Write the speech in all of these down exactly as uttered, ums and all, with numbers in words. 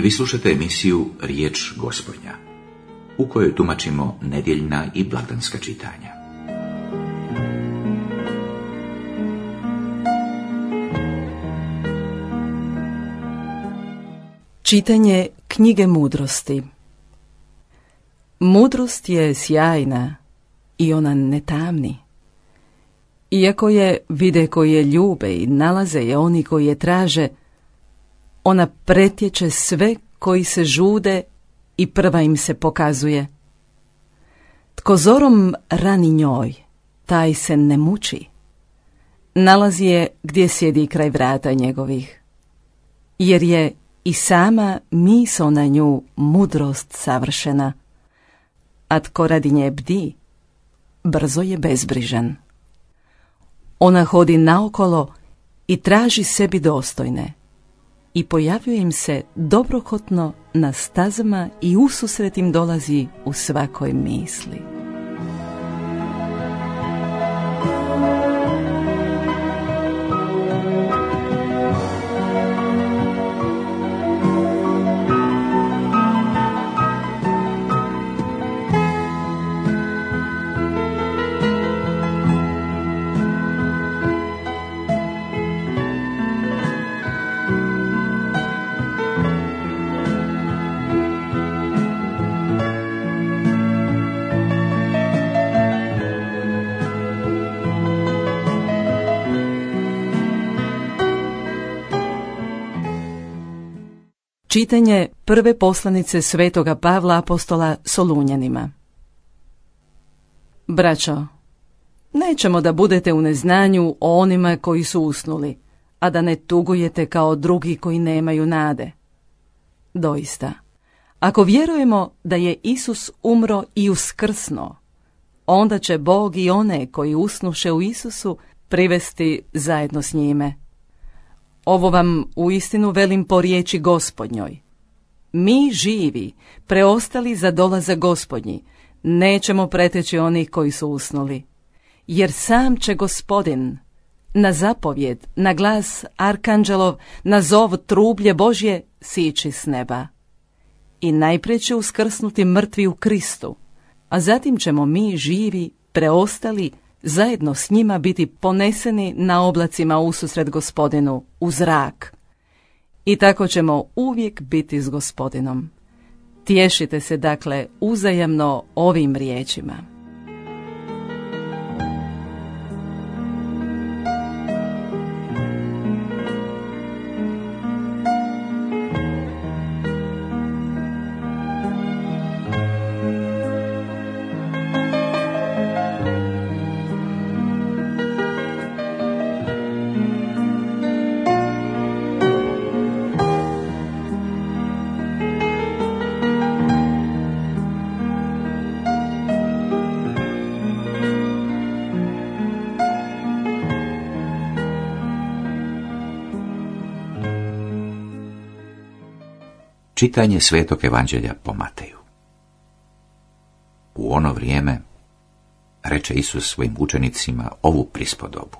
Vi slušate emisiju Riječ Gospodnja, u kojoj tumačimo nedjeljna i blagdanska čitanja. Čitanje knjige mudrosti. Mudrost je sjajna i ona ne tamni. Iako je vide koji je ljube i nalaze je oni koji je traže, ona pretječe sve koji se žude i prva im se pokazuje. Tko zorom rani njoj, taj se ne muči. Nalazi je gdje sjedi kraj vrata njegovih, jer je i sama misao na nju mudrost savršena, a tko radi nje bdi, brzo je bezbrižan. Ona hodi naokolo i traži sebi dostojne i pojavljuje im se dobrohotno na stazama i ususret im dolazi u svakoj misli. Čitanje prve poslanice svetoga Pavla apostola Solunjanima. Braćo, nećemo da budete u neznanju o onima koji su usnuli, a da ne tugujete kao drugi koji nemaju nade. Doista, ako vjerujemo da je Isus umro i uskrsnuo, onda će Bog i one koji usnuše u Isusu privesti zajedno s njime. Ovo vam uistinu velim po riječi Gospodnjoj. Mi živi, preostali za dolazak Gospodnji, nećemo preteći onih koji su usnuli. Jer sam će Gospodin na zapovjed, na glas arkanđelov, na zov trublje Božje sići s neba. I najprije će uskrsnuti mrtvi u Kristu, a zatim ćemo mi živi, preostali, zajedno s njima biti poneseni na oblacima ususret Gospodinu u zrak. I tako ćemo uvijek biti s Gospodinom. Tješite se dakle uzajamno ovim riječima. Čitanje Svetog Evanđelja po Mateju. U ono vrijeme reče Isus svojim učenicima ovu prispodobu.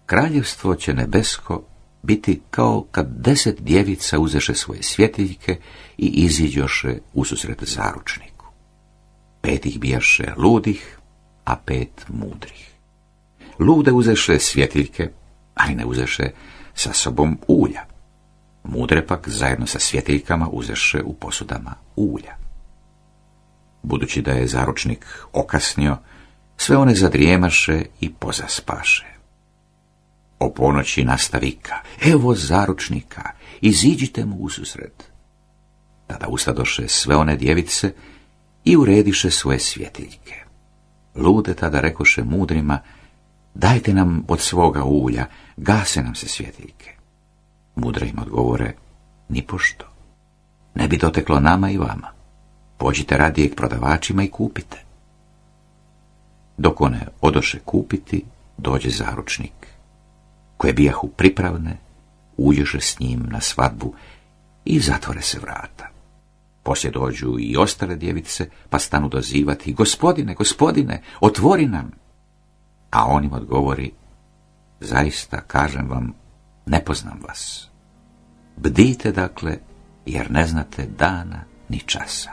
Kraljevstvo će nebesko biti kao kad deset djevica uzeše svoje svjetiljke i iziđoše ususret zaručniku. Pet ih bijaše ludih, a pet mudrih. Lude uzeše svjetiljke, ali ne uzeše sa sobom ulja. Mudre pak zajedno sa svjetiljkama uzeše u posudama ulja. Budući da je zaručnik okasnio, sve one zadrijemaše i pozaspaše. O ponoći nasta vika, evo zaručnika, iziđite mu ususret. Tada ustadoše sve one djevice i urediše svoje svjetiljke. Lude tada rekoše mudrima, dajte nam od svoga ulja, gase nam se svjetiljke. Mudre im odgovore, nipošto, ne bi doteklo nama i vama. Pođite radije k prodavačima i kupite. Dok one odoše kupiti, dođe zaručnik, koje bijahu pripravne, uđoše s njim na svadbu i zatvore se vrata. Poslije dođu i ostale djevice, pa stanu dozivati, gospodine, gospodine, otvori nam. A on im odgovori, zaista, kažem vam, ne poznam vas. Bdite dakle, jer ne znate dana ni časa.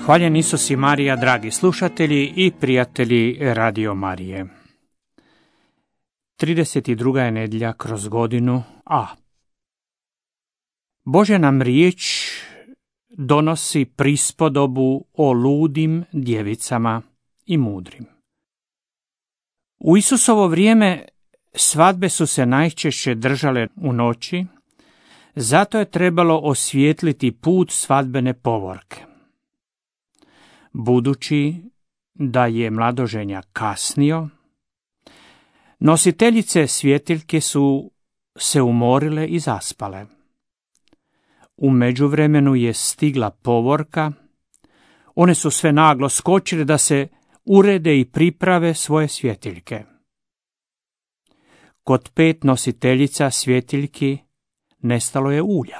Hvaljen Isus i Marija, dragi slušatelji i prijatelji Radio Marije. trideset druga je nedjelja kroz godinu A. Božja nam riječ donosi prispodobu o ludim djevicama i mudrim. U Isusovo vrijeme svadbe su se najčešće držale u noći, zato je trebalo osvijetliti put svadbene povorke. Budući da je mladoženja kasnio, nositeljice svjetiljke su se umorile i zaspale. U međuvremenu je stigla povorka, one su sve naglo skočile da se urede i priprave svoje svjetiljke. Kod pet nositeljica svjetiljki nestalo je ulja.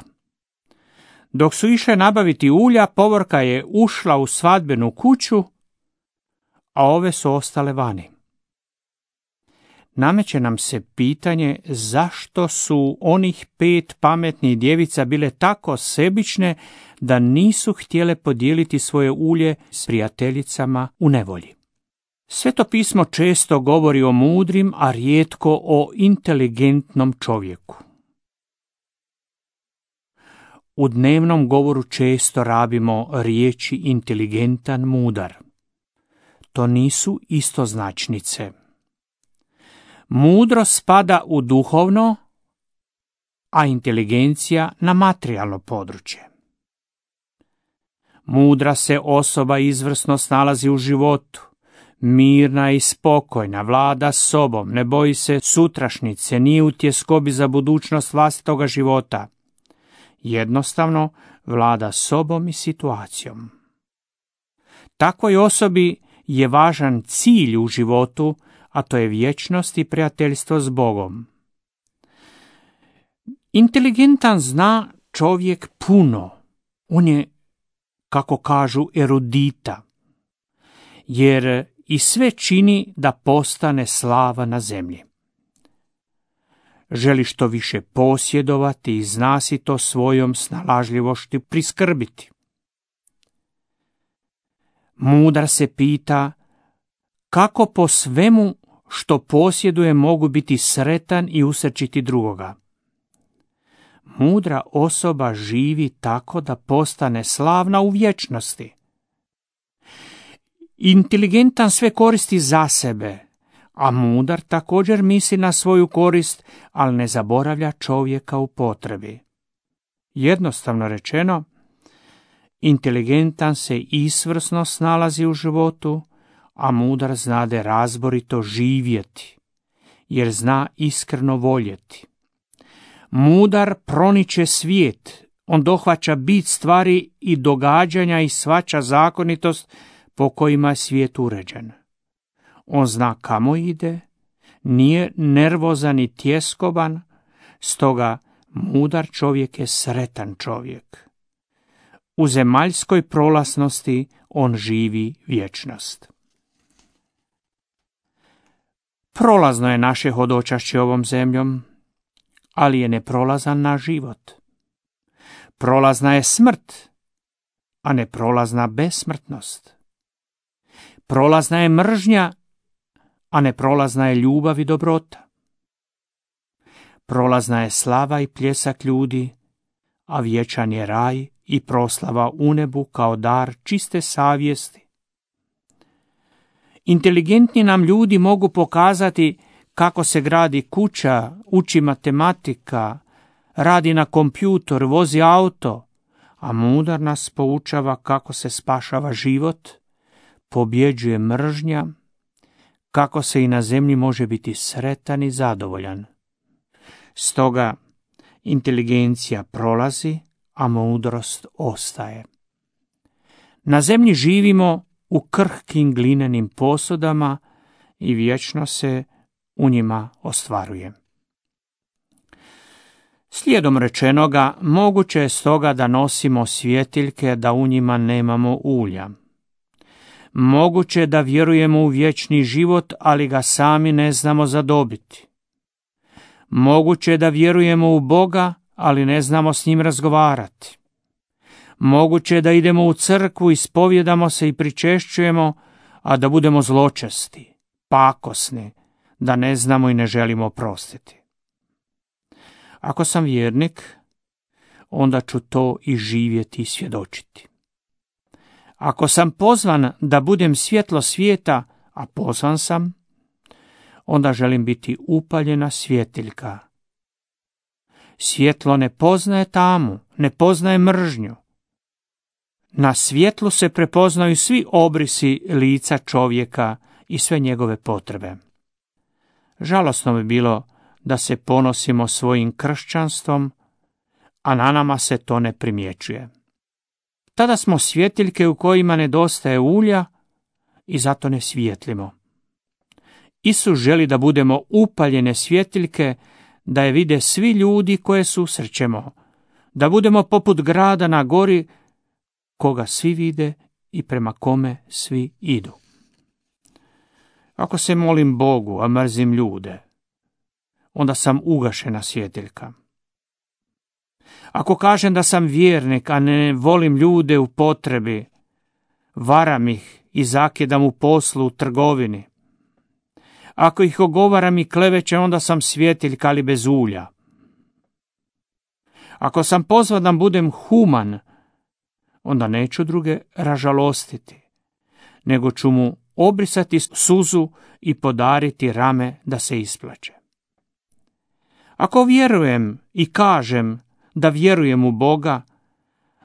Dok su išle nabaviti ulja, povorka je ušla u svadbenu kuću, a ove su ostale vani. Nameće nam se pitanje zašto su onih pet pametnih djevica bile tako sebične da nisu htjele podijeliti svoje ulje s prijateljicama u nevolji. Sveto pismo često govori o mudrim, a rijetko o inteligentnom čovjeku. U dnevnom govoru često rabimo riječi inteligentan, mudar. To nisu istoznačnice. Mudro spada u duhovno, a inteligencija na materijalno područje. Mudra se osoba izvrsno snalazi u životu, mirna i spokojna, vlada sobom, ne boji se sutrašnjice, nije u tjeskobi za budućnost vlastitoga života. Jednostavno vlada sobom i situacijom. Takvoj osobi je važan cilj u životu, a to je vječnost i prijateljstvo s Bogom. Inteligentan zna čovjek puno. On je, kako kažu, erudita, jer i sve čini da postane slava na zemlji. Želi što više posjedovati i zna si to svojom snalažljivošću priskrbiti. Mudar se pita kako po svemu što posjeduje mogu biti sretan i usrčiti drugoga. Mudra osoba živi tako da postane slavna u vječnosti. Inteligentan sve koristi za sebe, a mudar također misli na svoju korist, ali ne zaboravlja čovjeka u potrebi. Jednostavno rečeno, inteligentan se izvrsno snalazi u životu, a mudar znade razborito živjeti, jer zna iskreno voljeti. Mudar proniče svijet, on dohvaća bit stvari i događanja i shvaća zakonitost po kojima je svijet uređen. On zna kamo ide, nije nervozan i tjeskoban, stoga mudar čovjek je sretan čovjek. U zemaljskoj prolaznosti on živi vječnost. Prolazno je naše hodočašće ovom zemljom, ali je neprolazan naš život. Prolazna je smrt, a neprolazna besmrtnost. Prolazna je mržnja, a neprolazna je ljubav i dobrota. Prolazna je slava i pljesak ljudi, a vječan je raj i proslava u nebu kao dar čiste savjesti. Inteligentni nam ljudi mogu pokazati kako se gradi kuća, uči matematika, radi na kompjutor, vozi auto, a mudar nas poučava kako se spašava život, pobjeđuje mržnja, kako se i na zemlji može biti sretan i zadovoljan. Stoga inteligencija prolazi, a mudrost ostaje. Na zemlji živimo u krhkim glinenim posudama i vječno se u njima ostvaruje. Slijedom rečenoga, moguće je stoga da nosimo svjetiljke, da u njima nemamo ulja. Moguće je da vjerujemo u vječni život, ali ga sami ne znamo zadobiti. Moguće je da vjerujemo u Boga, ali ne znamo s njim razgovarati. Moguće je da idemo u crkvu, ispovjedamo se i pričešćujemo, a da budemo zločesti, pakosni, da ne znamo i ne želimo oprostiti. Ako sam vjernik, onda ću to i živjeti i svjedočiti. Ako sam pozvan da budem svjetlo svijeta, a pozvan sam, onda želim biti upaljena svjetiljka. Svjetlo ne poznaje tamu, ne poznaje mržnju. Na svjetlu se prepoznaju svi obrisi lica čovjeka i sve njegove potrebe. Žalosno bi bilo da se ponosimo svojim kršćanstvom, a na nama se to ne primjećuje. Tada smo svjetiljke u kojima nedostaje ulja i zato ne svijetlimo. Isus želi da budemo upaljene svjetiljke, da je vide svi ljudi koje susrećemo, da budemo poput grada na gori koga svi vide i prema kome svi idu. Ako se molim Bogu, a mrzim ljude, onda sam ugašena svjetiljka. Ako kažem da sam vjernik, a ne volim ljude u potrebi, varam ih i zakidam u poslu, u trgovini. Ako ih ogovaram i klevećem, onda sam svjetiljka, ali bez ulja. Ako sam pozvan da budem human, onda neću druge ražalostiti, nego ću mu obrisati suzu i podariti rame da se isplače. Ako vjerujem i kažem da vjerujem u Boga,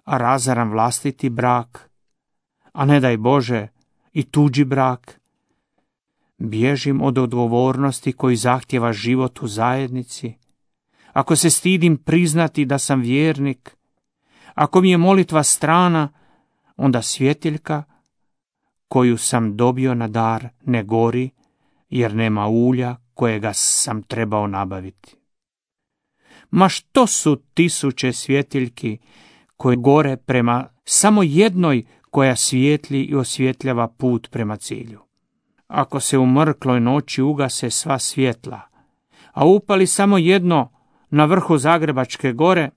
a razaram vlastiti brak, a ne daj Bože i tuđi brak, bježim od odgovornosti koji zahtjeva život u zajednici, ako se stidim priznati da sam vjernik, ako mi je molitva strana, onda svjetiljka koju sam dobio na dar ne gori, jer nema ulja kojega sam trebao nabaviti. Ma što su tisuće svjetiljki koje gore prema samo jednoj koja svijetli i osvjetljava put prema cilju. Ako se u mrkloj noći ugase sva svjetla, a upali samo jedno na vrhu Zagrebačke gore,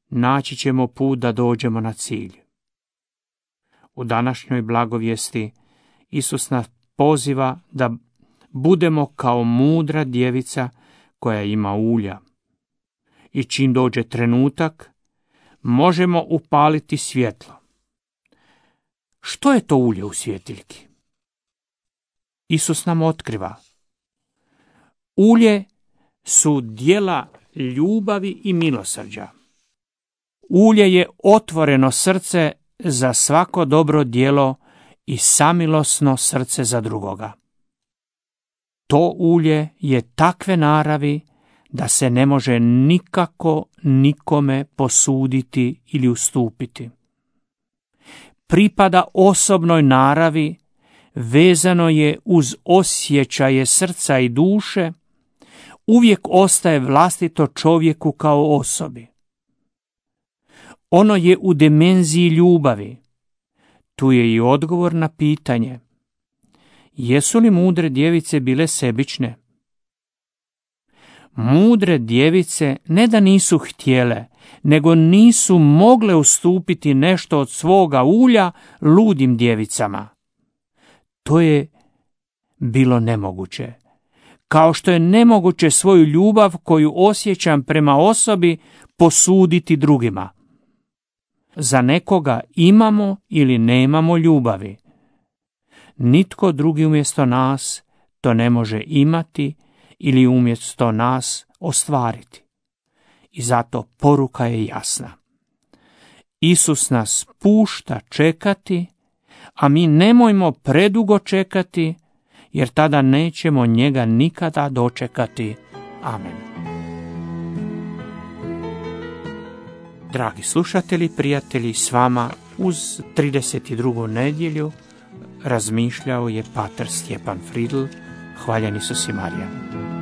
naći ćemo put da dođemo na cilj. U današnjoj blagovijesti Isus nas poziva da budemo kao mudra djevica koja ima ulja. I čim dođe trenutak, možemo upaliti svjetlo. Što je to ulje u svjetiljki? Isus nam otkriva. Ulje su djela ljubavi i milosrđa. Ulje je otvoreno srce za svako dobro djelo i samilosno srce za drugoga. To ulje je takve naravi da se ne može nikako nikome posuditi ili ustupiti. Pripada osobnoj naravi, vezano je uz osjećaje srca i duše, uvijek ostaje vlastito čovjeku kao osobi. Ono je u dimenziji ljubavi. Tu je i odgovor na pitanje: jesu li mudre djevice bile sebične? Mudre djevice ne da nisu htjele, nego nisu mogle ustupiti nešto od svoga ulja ludim djevicama. To je bilo nemoguće. Kao što je nemoguće svoju ljubav koju osjećam prema osobi posuditi drugima. Za nekoga imamo ili nemamo ljubavi. Nitko drugi umjesto nas to ne može imati ili umjesto nas ostvariti. I zato poruka je jasna. Isus nas pušta čekati, a mi nemojmo predugo čekati, jer tada nećemo njega nikada dočekati. Amen. Dragi slušatelji, prijatelji, s vama uz trideset drugu nedjelju razmišljao je pater Stjepan Fridl, hvaljeni su si Marija.